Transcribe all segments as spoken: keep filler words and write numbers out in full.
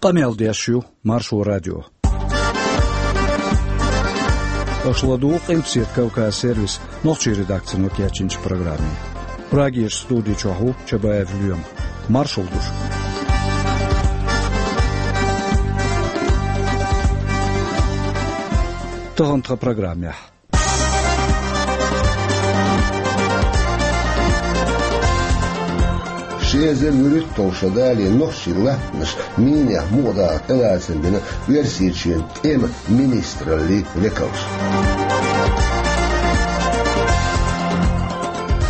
Къамел деш ю Маршо радио. Аша ладугӀу Къилбседа Кавказ сервисан нохчийн редакцино кечйинчу программе. Прагерчу студи чохь ву Чабаев Лоьма. Маршалла ду шуьга. Тахана тхан программехь. Ши эзар вуьрхӀитталгӀа шо далале нохчийн латтанаш минех мукъадахар тӀелацам бина Оьрсийчоьнан тӀеман министраллин векалша.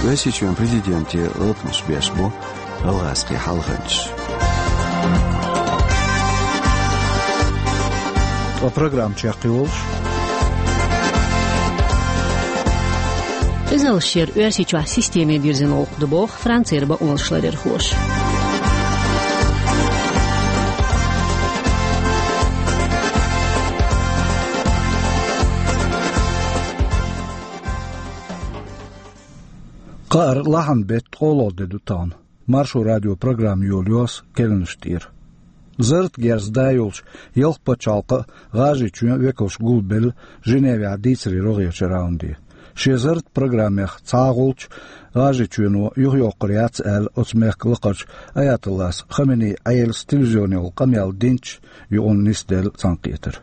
Оьрсийчоьнан президенте гӀалатамаш беш бу гӀалгӀазкхийн хьалханчаш. Ткъа программа чекхйолуш: Къизаллаш яр Оьрсийчохь системе дирзина гӀуллакх ду боху Францера бакъонашларъярхоша. Кхаара лахьанан беттан ткъолгӀа де ду тахана. Маршо радион программа йолайо аса керланаш тӀера. Зарратан герз да йолчу ялх пачхьалкхан а, ГӀажарийчоьнан а векалш гулбелла Женевехь дийцарийн рогӀерчу раунде. Шен зарратан программех цхьа а гӀулч ГӀажарийчоьно юхайоккхур яц аьлла, оцу мехкан лакхарчу аятоллас Хаменеин Ӏелас телевизионехула къамел динчу юкъанна нисделла цхьаьнакхетар.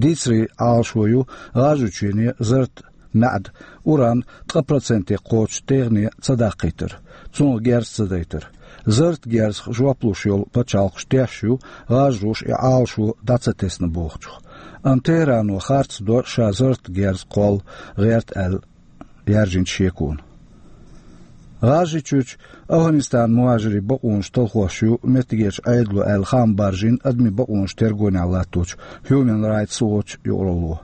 Дийцарийн Ӏалашо ю ГӀажарийчоьне зарратан маьӀда, уран ткъа проценте кхочуш техне ца даккхийтар, цунах герз ца дайтар. Зарратан герзах жоп луш йолу пачхьалкхаш тешна ю, гӀажароша и Ӏалашо дӀа ца тесна бохучух. Амма ТехӀрано харц до ша зарратан герз кхолла гӀерта аьлла яьржинчу шеконан. ГӀажарийчуьрчу Афганистанан мухӀажирийн бакъонаш талхош ю меттигерчу Ӏедало аьлла хаам баржийна адамийн бакъонаш тергонехь латточу Human Rights Watch юкъаралло.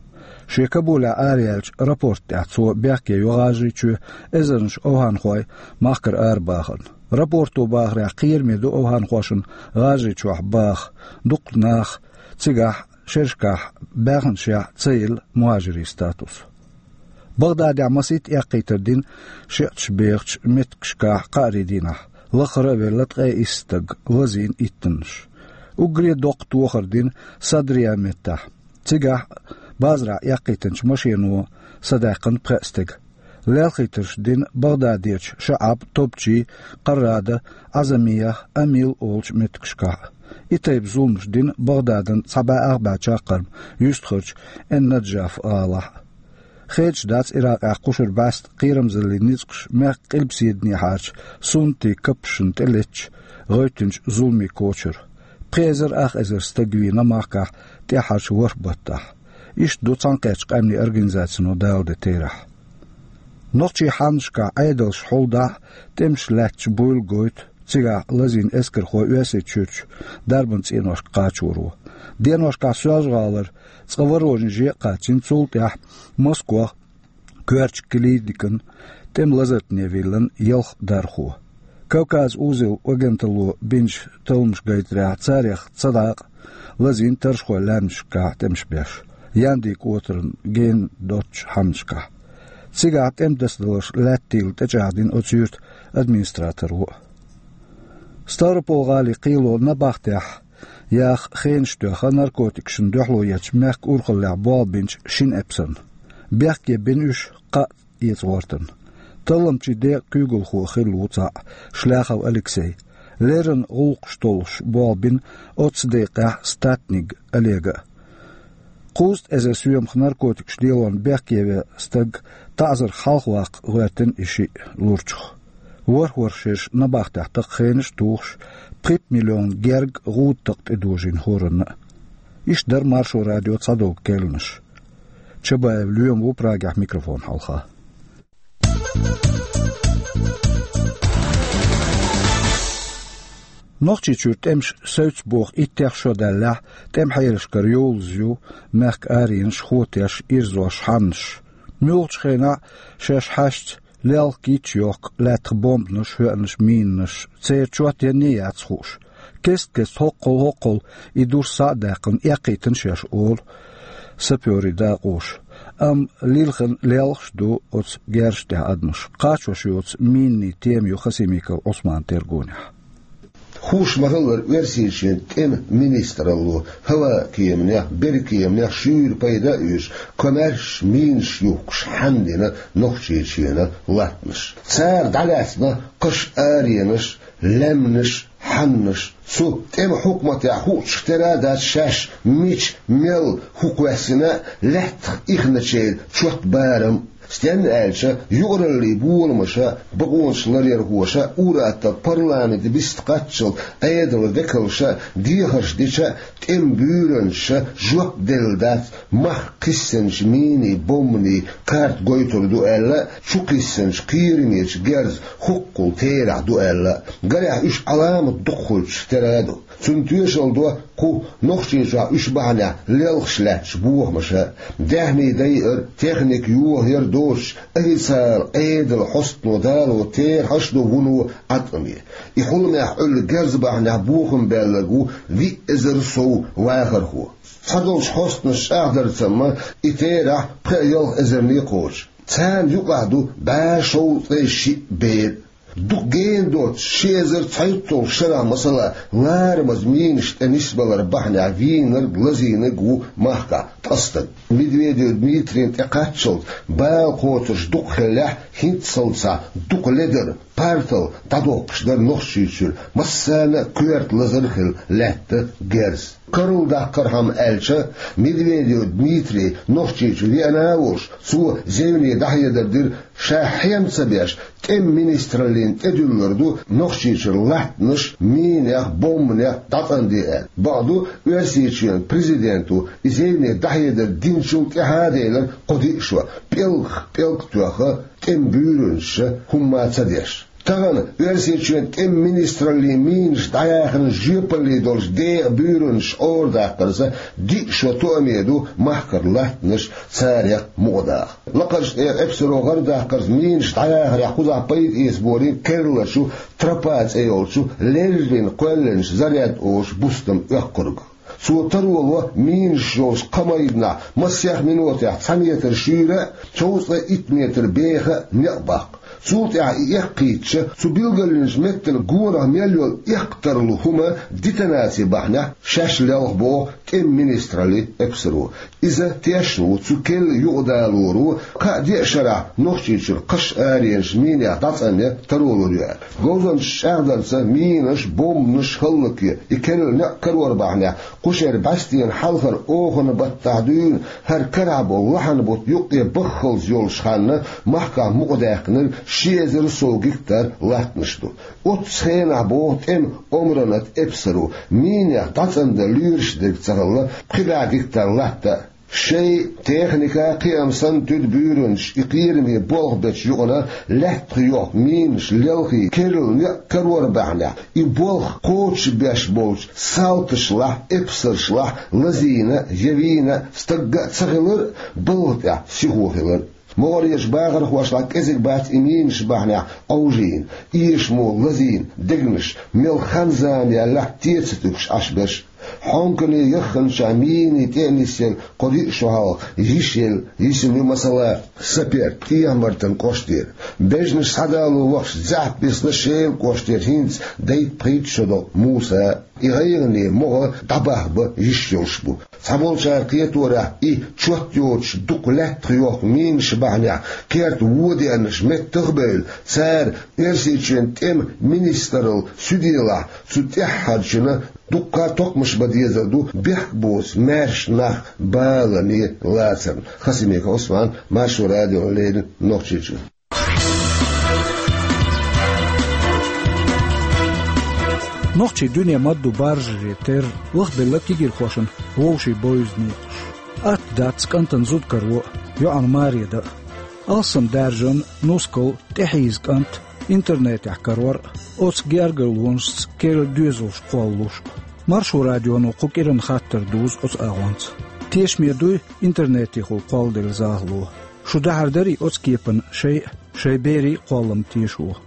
Шен Кабулехь араяьллачу рапорта тӀехь цо бехке йо ГӀажарийчоь эзарнаш афганхой махкара арабахарна. Рапорто бахарехь, кхераме ду афганхошна ГӀажарийчохь баха, дукха нах цигахь шерашкахь баьхначех ца елла мухӀажирийн статус. Багъдадехь масийтта эккхийтар дина шиӀаташ бехачу меттигашкахь кхаарийн дийнахь, лаххара а велла ткъе исс стаг, лазийна иттаннаш. Уггаре доккха тохар дина Садрия меттехь. Цигахь базарахь эккхийтинчу машено садаьккхина пхеа стеган. Лелхийтарш дина Багъдадерчу ШаӀаб, Топчи, Къаррада, Ӏазамия, Амил олучу меттигашкахь а. И тайпа зуламаш дина Багъдадан цхьа бӀе ах бӀе чаккхарма юьстахарчу Эн-Наджаф гӀалахь а. Хедаш дац Иракъехь кхушара бӀаьста кхерамзаллин ницкъаш мехкан къилбаседанехьарчу суннатийн каппашна тӀелеттачу гӀевттинчу зуламийн кочара. Пхи эзар ах эзар стаг вийна махкахь тӀаьххьарчу ворхӀ баттахь. Иштта ду Цхьаьнакхеттачу Къаьмнийн Организацино даладен терахь. Нохчийн хьаннашкахь Ӏедалш хьулдахь а, тӀемаш лаьтташ буйла гойту цигахь лазийна эскархой Оьрсийчуьрчу дарбан цӀеношка кхачоро. Деношкахь Соьлжа-ГӀалара, цкъа Воронеже а кхачийна, цул тӀаьхьа Москох коьртачу клиникана тӀеман лазартане виллина ялх дархо. Кавказ узел агенталло бинчу талламаша гайтарехь, царех цадакъа лазийна таррахой лаьмнашкахь тӀемаш беш, Яндин кӀотарна гена доцучу хьаннашкахь. Цигахь тӀеман дасадаларш лаьттийла тӀечӀагӀдина оцу юьртан администраторо а. Ставрополь-гӀалин кхело набахтехь яха хенаш тоьхна наркотикашна дуьхьало ечу мехкан урхаллехь болх бинчу шина эпсарна. Бехке бина уьш кхаа эца гӀортарна. Талламчийн декъан куьйгалхо хилла ву цхьаъ, Шляхов Алексей. Леррина гӀуллакхаш толлуш болх бина оццу декъехь Статник Олега а. Кхузткъа эзар соьмах наркотикаш лелорна бехке веа стаг таӀзарх хьалхаваккха гӀоьртина и шиъ лурчух. ВорхӀ-ворхӀ шераш набахтехь такха хенаш а тухуш, пхи миллион герга гӀуда такха тӀедожийна хӀоранна а. Иштта дара Маршо радион цхьадолу керланаш. Чабаев Лоьма ву Прагехь микрофон хьалха. Нохчийчуьра тӀемаш севцца боху иттех шо даьллехь, тӀеман хьелашкара йовлаза ю мехкан аренаш, хотеш, ирзош, хьаннаш. Муьлххачу хенахь шаьш хьаьшца лелха кийча йохку лаьттах бомбанаш, хӀоьънаш, минанаш, церан чот янне яц хууш. Кест-кеста хӀоккхул-хӀоккхул и дурс схьа а даьккхина, эккхийтина шаьш, олу сапёрийн дакъоша. Амма лилхина лелхаш ду оцу герзаш тӀехь адамаш. Кхачош йоцу минийн тема ю Хасимиков Ӏусманан тергонехь. Хууш ма-хиллара, Оьрсийчоьнан тӀеман министралло хӀаваан кеманех, берриган кеманех шуьйра пайда а оьцуш, комаьрша минаш юхкуш хьанна дина Нохчийчоьнан латтанаш. Цара дӀалаьцна кхаш, аренаш, лаьмнаш, хьаннаш. Цу тӀеман хьукматехь хуучух тера а дац шаьш мича, мел, хӀун кхоьссина а, лаьттах ихначеран чот, барам. Стенна аьлча, юкъараллин боламаша, бакъонашларъярхоша, ур-аттар, парламент бист кхаччалц Ӏедалан векалша дехарш дича а, тӀеман буьйранчаша жоп делла дац, мах кхиссинчу минийн, бомбанийн карта гойтур ду аьлла а, чу кхиссинчу кхерамечу герзан хӀуккхул терахь ду аьлла а. Гарехь, уьш Ӏаламат дукха хуьлучух тера а ду. Цунна тоьшалла до кху Нохчийчохь уьш бахьанехь лелхаш лаьттачу бохамаша. Даьхни дайар, техника йохаяр доцуш, официалан Ӏедалан хьостано дало терахьаш а ду вуно Ӏаткъаме. И хьуламех Ӏуьллу герз бахьанехь бохам баьлларг ву виъ эзар сов вахархо. Цхьадолчу хьостанаша чӀагӀдарца, и терахь пхеа-ялх эзарна кхочу. Царна юкъахь ду бӀе шовзткъе шиъ бер. Дукха гена доцуш, ши эзар цхьайтталгӀачу шарахь, масала, ларамаза минаш тӀе нисбалар бахьанехь вийнарг, лазийнарг ву махкахь ткъа стаг. Медведев Дмитрийна тӀекхаччалц, бала кхочурш дукха хиллехь, хӀинццалц дукха ледара, партал дӀадоккхуш дара Нохчийчуьра массарна а коьрта лазар а хилла лаьтта герз. Карладаккхархьама аьлча, Медведев Дмитрий Нохчийчу веана а волуш, цо зевне дӀахьедар дира, ша хьем ца беш, тӀеман министраллина тӀедуьллур ду Нохчийчуьра латтанаш минех, бомбанех дӀацӀанде аьлла. Бакъду, Оьрсийчоьнан президенто и зевне дӀахьедар динчул тӀаьхьа а делира кхо-диъ шо, пӀелгах пӀелг а тоьхна, тӀеман буьйранчаша хӀумма а ца деш. Тахана Оьрсийчоьнан тӀеман министраллин минаш дӀаяханан жоьпалле долчу декъан буьйранчаш арадаккхарца диъ шо тоаме ду махкара латтанаш, царех мукъадаха. Лакхарчу тӀера эпсаро гӀардаккхарца минаш дӀаяхарехь кхузахь пайда эцаборийра керлачу Тропа цӀе йолчу леррина кхоьллинчу заряд олучу бустан оьккхург. Цо таро ло минаш йолчу кхаа майданахь масех минотехь цхьа метр шуьйра а, шовзткъе итт метр беха а некъ баккха. Цул тӀаьхьа и эккхийтича, цу билгалйинчу меттан гонах мел йолу эккха тарлу хӀума детонаци бахьанехь шаьш лелха, боху тӀеман министраллин эпсаро. Иза тешна ву цу керла юкъадалоро кхаа-деа шарахь Нохчийчуьра кхаш, аренаш минех дӀацӀанъян таро лур ю аьлла. Говзанчаша чӀагӀдарца, минаш, бомбанаш хӀаллакъе и керла некъ карор бахьанехь, кху шеран бӀаьстенан хьалхара оханан баттахь дуьйна, хӀара карахь болу лахьанан бутт юккъе баххалц йолчу ханна махкахь мукъадаьккхинарг ши эзар сов гектар латтанаш ду. Оццу хенахь, боху тӀеман омранан эпсаро, минех дӀацӀандан лоьраш дерг ца хилла пхи бӀе гектар латта а. Шайн техника а, кхиам санна туьду буьйранчаш и кхераме болх бечу юкъана лаьттах йохку минаш лелхий керла некъ карор бахьанехь, и болх кхочушбеш болчу салташлахь, эпсаршлахь лазийна я вийна стагга а ца хилар а, балха тӀехь сихо хилар а. МогӀарерчу бахархошлахь кӀезиг бац и минаш бахьанехь Ӏовжийна, эшамо лазийна дегнаш, мел хан-зама яьллехь а, тӀе ца туьгуш Ӏаш берш. Хьонкане яхханчохь минийн тӀе а нисъелла кхо-диъ шо хьалха йиш елла йисина ю, масала, Сапер, ТӀехьа-Мартан кӀоштера. Бежанаш схьадало вахча, заьӀап бисна Шелан кӀоштера хӀинца дейтта-пхийтта шо долу Муса. И гӀайгӀане могӀа дӀабахьа бан йиш йолуш бу. Цхьаболчара кхеторехь, и чот йоцуш дукха лаьттах йохку минаш бахьанехь керта вон деанарш меттах а бевлла, цара Оьрсийчоьнан тӀеман министралла суьделахь, цу тӀаьххьарчунна дуккха а токхамаш бан дезар ду бехк боцу маьрша нах балане лацарна. Хасимиков Ӏусман, Маршо радиона леррина, Нохчийчуьра. Нохчийн дуьне мадду баржарийн терра лахбелла кегийрхошна вовшийн бовза некъаш. Атта дац кӀантана зуда каро а, йоӀана маре дан а. Алсам даьржина нускал, тӀехьийза кӀант интернетехь карор а, оцу гергарлонашца керла доьзалш кхоллалуш а. Маршо радионо кху кӀиран хаттар дузу оцу агӀонца. Тешаме дуй интернетехула кхолладелла захало? Шу дахьар дарий оцу кепана шайн а, шайн берийн а кхоллам тешо?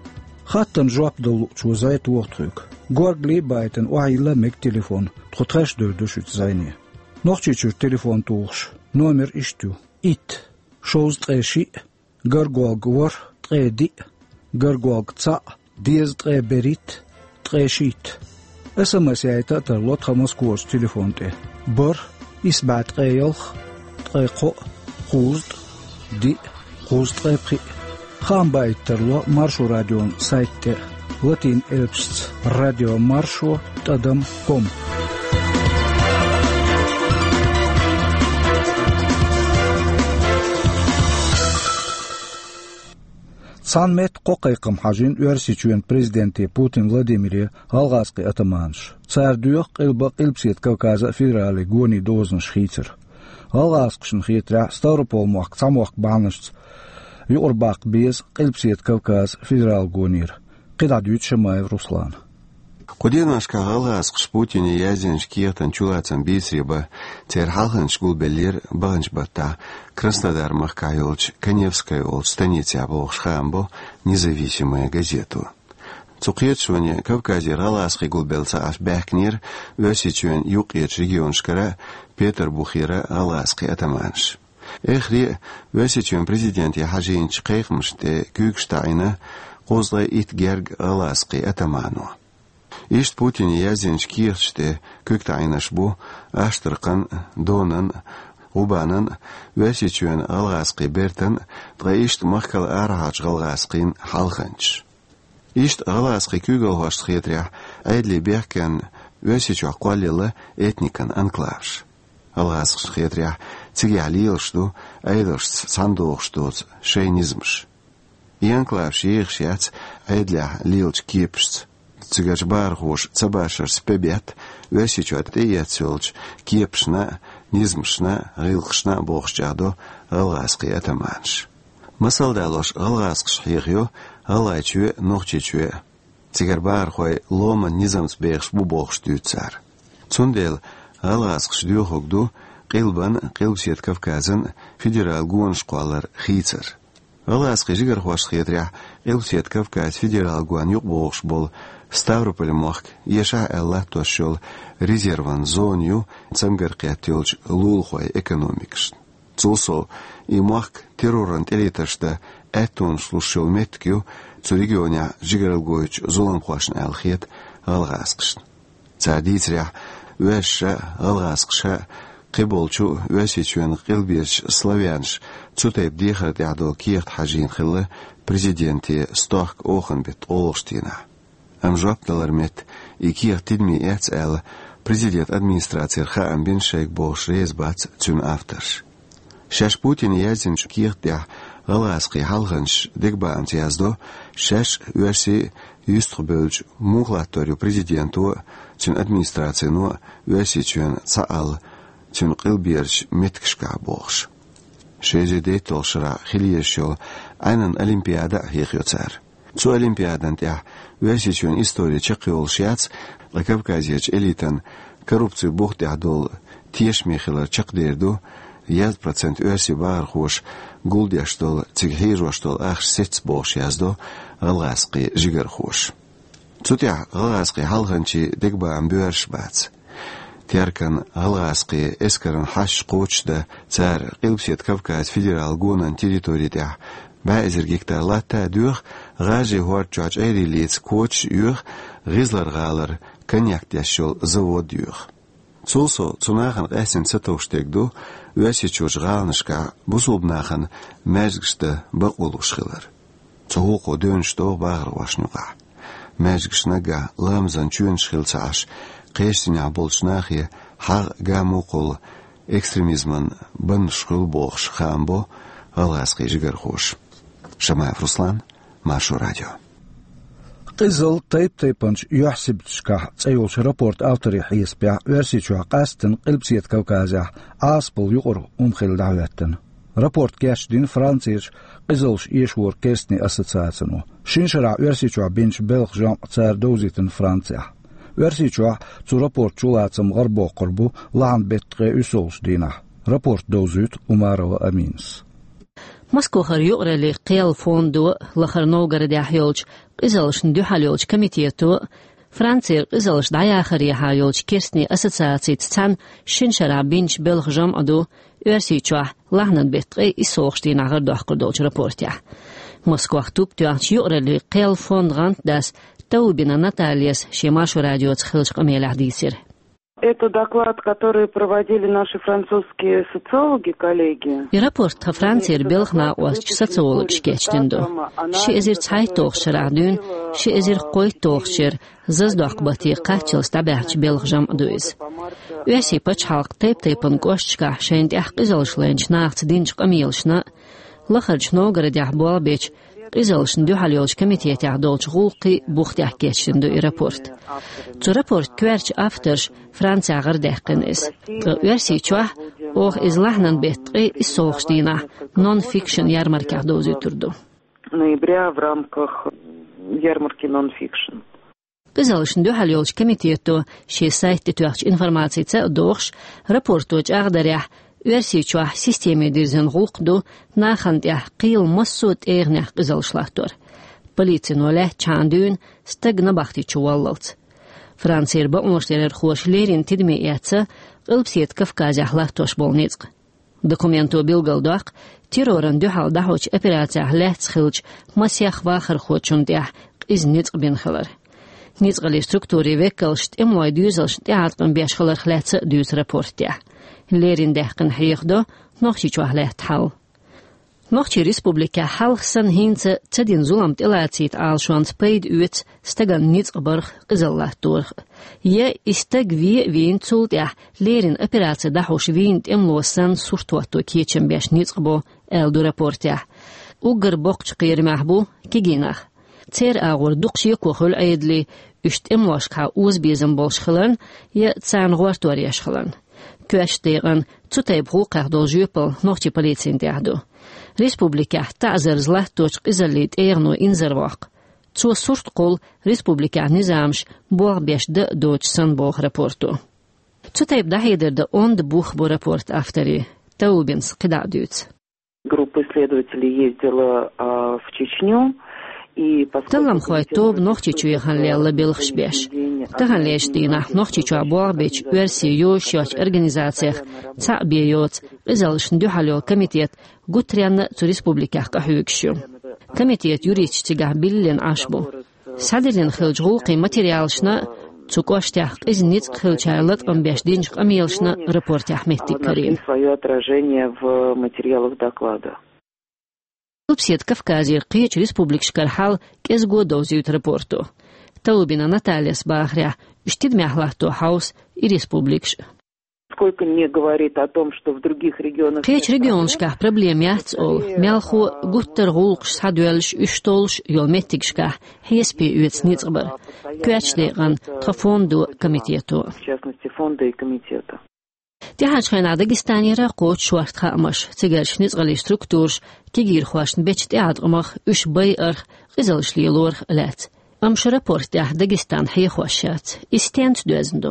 Хаттарна жоп дала луучо зӀе тоху тхоьга. Горгали а байтина охьайилла а мега телефон, тхо тхаьш а девр ду шуьца зӀене. Нохчийчуьра телефон тухуш, номер иштта ю: итт, шовзткъе шиъ, гарголга ворхӀ, ткъе диъ, гарголга цхьаъ, дезткъе берхӀитта, ткъе шийтта. СМС яйта а тарло тхан Москварчу телефон тӀе: бархӀ, исс бӀе ткъе ялх, ткъе кхоъ, кхузткъа, диъ, кхузткъе пхиъ. Хаам баийта тарло Маршо радион сайт тӀе а, латин элпашца: радио маршо тӀадам ком. Цхьана метта кхо кхайкхам хьажийна Оьрсийчоьнан президенте Путин Владимире гӀалгӀазкхийн атаманаша. Цара доьху Къилба а, Къилбаседа Кавказа а федералан гонийн дозанаш хийцар. ГӀалгӀазкхашна хетарехь, Ставрополь-мохк цхьа мохк бахьанашца юкъарабаккха беза Къилбаседа Кавказан федералан гонера. КхидӀа дуьйцу Шамаев Руслана. Кху деношкахь гӀалгӀазкхаша Путине яздинчу кехатан чулацам бийцаре бан, церан хьалханчаш гулбеллера баханчу баттахь Краснодар-махкахь йолчу Каневская олучу станицехь бохуш, хаам бо «Независимая газета». Цу кхеташоне Кавказера гӀалгӀазкхий гулбелла ца Ӏаш баьхкинера Оьрсийчоьнан юккъерчу регионашкара а, Петарбухера а гӀалгӀазкхийн атаманаш. Эххар а Оьрсийчоьнан президенте хьажийначу кхайкхамашна тӀе куьйгаш таӀийна кхузткъе итт гергга гӀалгӀазкхийн атамано. Иштта Путине яздинчу кехаташ тӀе куьг таӀийнарш бу Аштраханан, Донан, ГӀубанан, Оьрсийчоьнан гӀалгӀазкхийн бертан, ткъа иштта махкал арахьарчу гӀалгӀазкхийн хьалханчаш. Иштта гӀалгӀазкхийн куьйгалхошна хетарехь, Ӏедалан бехкенна Оьрсийчохь кхоллаелла этникан анклаваш. ГӀалгӀазкхашна хетарехь, цигахь лелаш ду Ӏедалшца цхьаьна догӀуш доцу шайн низамаш. И анклаваш ехаш яц Ӏедалехь лелачу кепашца. Цигарчу бахархоша ца башарца пе бетта Оьрсийчохь тӀеэцна йолчу кепашна а, низамашна а, гӀиллакхашна а бохуш чӀагӀдо гӀалгӀазкхийн атаманаш. Масал далош, гӀалгӀазкхаша хьехайо ГӀалгӀайчоь а, Нохчийчоь а. Цигара бахархой ломан низамца бехаш бу бохуш дуьйцу цара. Цундела гӀалгӀазкхаша доьхург ду Къилбан а, Къилбаседа Кавказан а федералан гонаш кхоллар хийцар. ГӀалгӀазкхийн жигархошна хетарехь, Къилбаседа Кавказан федералан гонна юкъабогӀуш болу Ставрополь-мохк, эшахь аьлла латтош йолу резерван зона ю цамгар кхетта йолчу лулахойн экономикашна. Цул сов, и мохк терроран тӀелетарш дан аьттонаш луш йолу меттиг ю цу регионехь жигаралла гойтучу зуламхошна аьлла хета гӀалгӀазкхашна. Цара дийцарехь, оьрсаша а, гӀалгӀазкхаша а, кхиболчу Оьрсийчоьнан къилберчу славянаш цу тайпа дехар тӀехь долу кехат хьажийна хилла президенте стохка оханан беттан олуш дийнахь. Амма жоп далар метта и кехат тидаме эцна аьлла, президентан администрацера хаам бина шайга бохуш реза бац цуьнан авторш. Шаьш Путине яздинчу кехат тӀехь гӀалгӀазкхийн хьалханчаш дегабаамца яздо, шаьш а, оьрсий а юьстахбевлча муха латтор ю президенто а, цуьнан администрацино а Оьрсийчоьнан цхьаалла цуьнан къилберчу меттигашкахь бохуш. Ши эзар дейтталгӀачу шарахь хила езаш йолу Ӏаьнан олимпиада а хьехайо цара. Цу олимпиадан тӀехь Оьрсийчоьнан истори чекхйолуш яц, ткъа Кавказерчу элитан коррупцин бух тӀехь долу тешаме хилар чекхдер ду, яздан процент оьрсийн бахархоша гулдеш долу, цига хьежош долу ахча сецна бохуш яздо гӀалгӀазкхийн жигархоша. Цу тӀехь гӀалгӀазкхийн хьалханчийн дегабаам боьрша бац. Теркан гӀалгӀазкхийн эскаран хьашташ кхочушдан цара Къилбаседа Кавказан федералан гонан территори тӀехь бӀе эзар гектар латта а доьху, ГӀажарийн хӀорда чохь чӀерий лаца кочаш а йоьху, ГӀизлар-гӀалара коньяк деш йолу завод а йоьху. Цул сов, цу нахана къаьстина сатовш дерг ду Оьрсийчуьрчу гӀаланашкахь бусулба нахана маьждигаш дан бакъо луш хилар. Цу гӀуллакхо девнаш догӀу бахархошна юкъахь. Маьждигаш наггахь ламазан чоьнаш хилла ца Ӏаш, кхечу динехь болчу нахе хьагӀ а, гамуккхалла экстремизман баннаш хуьлу бохуш хаам бо гӀалгӀазкхийн жигархоша. Шамаев Руслан, Маршо радио. «Къизалла тайп-тайпанчу юьхь-сибаташкахь» цӀе йолчу рапортан авторийн хьесапехь, Оьрсийчохь, къаьсттина Къилбаседа Кавказехь, Ӏазапал юкъара хӀума хилла дӀахӀоьттина. Рапорт кечдина Францерчу къизаллаш эшоран керстанийн ассоциацино. Шина шарахь Оьрсийчохь бинчу белхан жамӀ цара довзийтина Францехь. Оьрсийчохь цу рапортан чулацам гӀарабоккхур бу лахьанан беттан ткъе уьссалгӀачу дийнахь. Рапорт довзуьйту Умарова Аминас. Москвахара юкъараллин кхел фондо а, Лахара Новгородехь йолчу къизаллашна дуьхьал йолчу комитето а, Францера къизаллаш дӀаяхарехьа йолчу керстанийн ассоциацица цхьаьна шина шарахь бинчу белхан жамӀа ду Оьрсийчохь лахьанан беттан ткъе уьссалгӀачу дийнахь гӀарадоккхур долчу рапортехь. Москвахь туп тоьхначу юкъараллин кхел фондо гӀантдас Таубина Натальяс шен Маршо радиоца хиллача къамелехь дийцира. Это доклад, который проводили наши французские социологи, коллеги. И рапорт тхан Францера белхан накъосташ социологаш кечдина ду. Ши эзар цхьайтталгӀачу шарахь дуьйна, ши эзар кхойтталгӀачу шеран Заздоккху батте кхаччалц дӀабаьхьначу белхан жамӀ ду иза. Оьрсийн пачхьалкхан тайп-тайпана кӀошташкахь шайна тӀехь къизаллаш лайначу нахаца динчу къамелашна, Лахарчу Новгородехь болх бечу къизаллашна дуьхьал йолчу комитетехь долчу гӀуллакхийн бух тӀехь кечдина ду и рапорт. Цу рапортан коьртачу авторша Францехь гӀарадаьккхина иза. Ткъа Оьрсийчохь, оха иза лахьанан беттан ткъе иссалгӀачу дийнахь нон-фикшн ярмаркехь довзуьйтур ду. Ноября в рамках ярмарки нон-фикшн. Къизаллашна дуьхьал йолчу комитето шен сайта тӀе тоьхначу информацица а догӀуш, рапорто чӀагӀдарехь, Оьрсийчохь системе дирзина гӀуллакх ду нахана тӀехь кхелан массо а тӀегӀанехь къизаллаш латтор. Полицино лаьттачхьана дуьйна стаг набахтечу валлалц. Францера бакъонашларъярхоша леррина тидаме эцна Къилбаседа Кавказехь латтош болу ницкъ. Документо билгалдоккху, террорна дуьхьал дӀахьочу операцехь лаьцна хиллачу масех вахархочунна тӀехь къиза ницкъ бина хилар. Ницкъаллин структурийн векалша тӀемалойн доьзалшна тӀеӀаткъам беш хиларх лаьцна а дуьйцу рапортехь. Леррина даьккхина хьехадо Нохчийчохь лаьтта хьал. Нохчийн республикехь хьалха санна хӀинца ца дина зулам тӀелацийта Ӏалашонца пайда оьцу стагана ницкъ барх, къизалла латторах. Я и стаг вен а вийна, цул тӀаьхьа леррина операци дӀахьош вийна тӀемало санна сурт хӀотто кечам беш ницкъ бо, аьлла ду рапортехь. Уггар боккхачу кхерамехь бу кегий нах. Церан агӀор дукха шеко хуьлу Ӏедале, уьш тӀемалошкахьа озабезам болуш хиларна я царна гӀортор еш хиларна. Коьртачу декъана цу тайпа гӀуллакхех долу жоьпалла нохчийн полицина тӀехь ду. Республикехь таӀзарца латточу къизаллин тӀегӀано инзарвоккху. Цо сурт кхуллу республикехь низамаш болх беш дан а доцуш санна, боху рапорто. Цу тайпа дӀахьедар дан онда бух бу рапортан авторийн. Таубинас кхидӀа а дуьйцу. Группа исследователей ездила, а, в Чечню, и поскольку Талламхойн тоба Нохчийчу яхана лелла белхаш беш. Таханлерчу дийнахь Нохчийчохь болх бечу оьрсийн йозуш йоцчу организацех цхьаъ бен йоцу къизаллашна дуьхьал йолу комитет гуттаренна а цу республикех къахьоьгуш ю. Комитетан юристаш цигахь биллина Ӏаш бу. Схьадиллина хиллачу гӀуллакхийн материалашна а, цу кӀоштехь къиза ницкъ хиллачара латкъам беш динчу къамелашна а рапортехь меттиг карийна. Нашли своё отражение в материалах доклада. Къилбаседа Кавказера кхечу республикашкара хьал кӀезиго довзуьйту рапорто. Таубина Натальяс бахарехь, уьш тидамехь латто хьовса и республикаш. Сколько не говорит о том, что в других регионах Кхечу регионашкахь проблема яц олу, мелхо гуттар а гӀуллакхаш схьадоьллуш, уьш толлуш йолу меттигашкахь хьесапе оьцу ницкъ бар. Коьртачу декъана тхан фондо, комитето. В частности, фонда и комитета. ТӀаьхьарчу хенахь Дагестанера кхочу шорта хаамаш, цигарчу ницкъаллин структураша кегийрхошна бечу тӀеӀаткъамах, уьш байарх, къизаллаш лелорах а лаьцна. Амма шу рапорт тӀехь Дагестан хьехош яц. Иза стенца доьзна ду?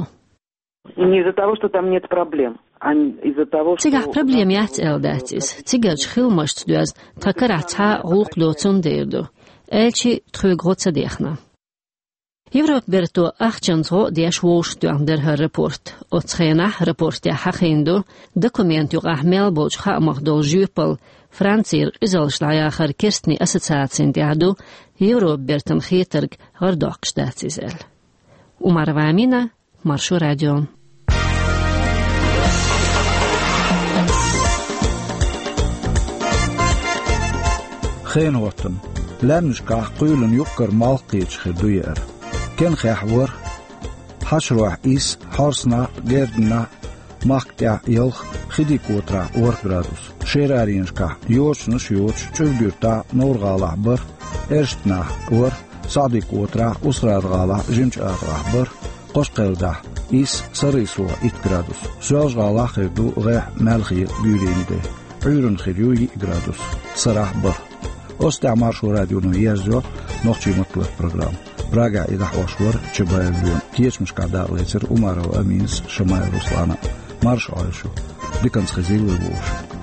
Не из-за того, что там нет проблем, а из-за того, что Цигахь проблема яц аьлла дац иза. Цигарчу хиламашца доьзна тхан карахь цхьа а гӀуллакх доцун дер ду. Аьлчи тхоьга гӀо ца дехна. Европа берто ахчанца гӀо а деш вовшахтоьхна дара хӀара рапорт. Оцу хенахь рапортехь хьахийна ду, документан юкъахь мел болчу хаамах долу жоьпалла Францера къизаллаш дӀаяхар керстанийн ассоциацина тӀехь ду, Европа бертан хетарг гӀардоккхуш дац иза аьлла. Умарова Амина, Маршо радио. Хенан хӀоттам. Лаьмнашкахь кхоьлина юккъера малх кхеташ хир ду яра. Кенхехь ворхӀ, хьашарохь исс, хьорсанахь, герданахь, махка тӀехь ялх, хи дика котарахь ворхӀ градус. Шераренашкахь йочанаш а йоцуш, ЧӀуьргуьртахь, Невран-ГӀалахь бархӀ, Эрстнахь ворхӀ, СаӀди-котарахь, Устрада-ГӀалахь, Жимачу-АтагӀахь бархӀ, Кхошкхелдахь исс, Саррисо итт градус. Соьлжа-ГӀалахь хир ду гӀеххьа, маьлхе, буьйренан де. Ӏуьйранна хир ю йиъ градус. Сарахь бархӀ. Оцу тӀехь Маршо радионо ерзайо нохчийн маттахь программа. Прагехь и дӀахьош вара Чабаев Лоьма. Кечамашкахь дакъалецира Умарова Аминас, Шамаев Руслана. Марша Ӏойла шу. Диканца хезийла вай вовшашка.